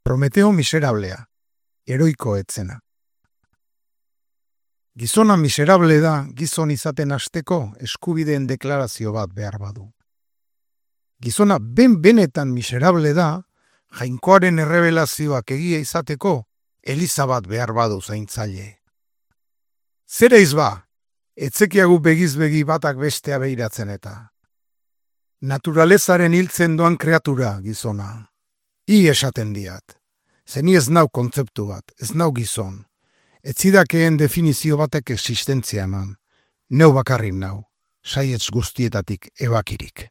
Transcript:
Prometeo miserablea, heroiko etzena. Gizona miserable da gizon izaten hasteko eskubideen deklarazio bat behar badu. Gizona benetan miserable da jainkoaren errebelazioak egia izateko eliza bat behar badu zaintzaile. Zera izba, etzekiagu begizbegi batak bestea behiratzen eta. Naturalezaren hiltzen doan kreatura gizona. I esaten diat. Zeni ez nau kontzeptu bat, ez nau gizon. Ez zidakeen definizio batek existentzia eman. Neu bakarrik nau, saietz guztietatik ebakirik.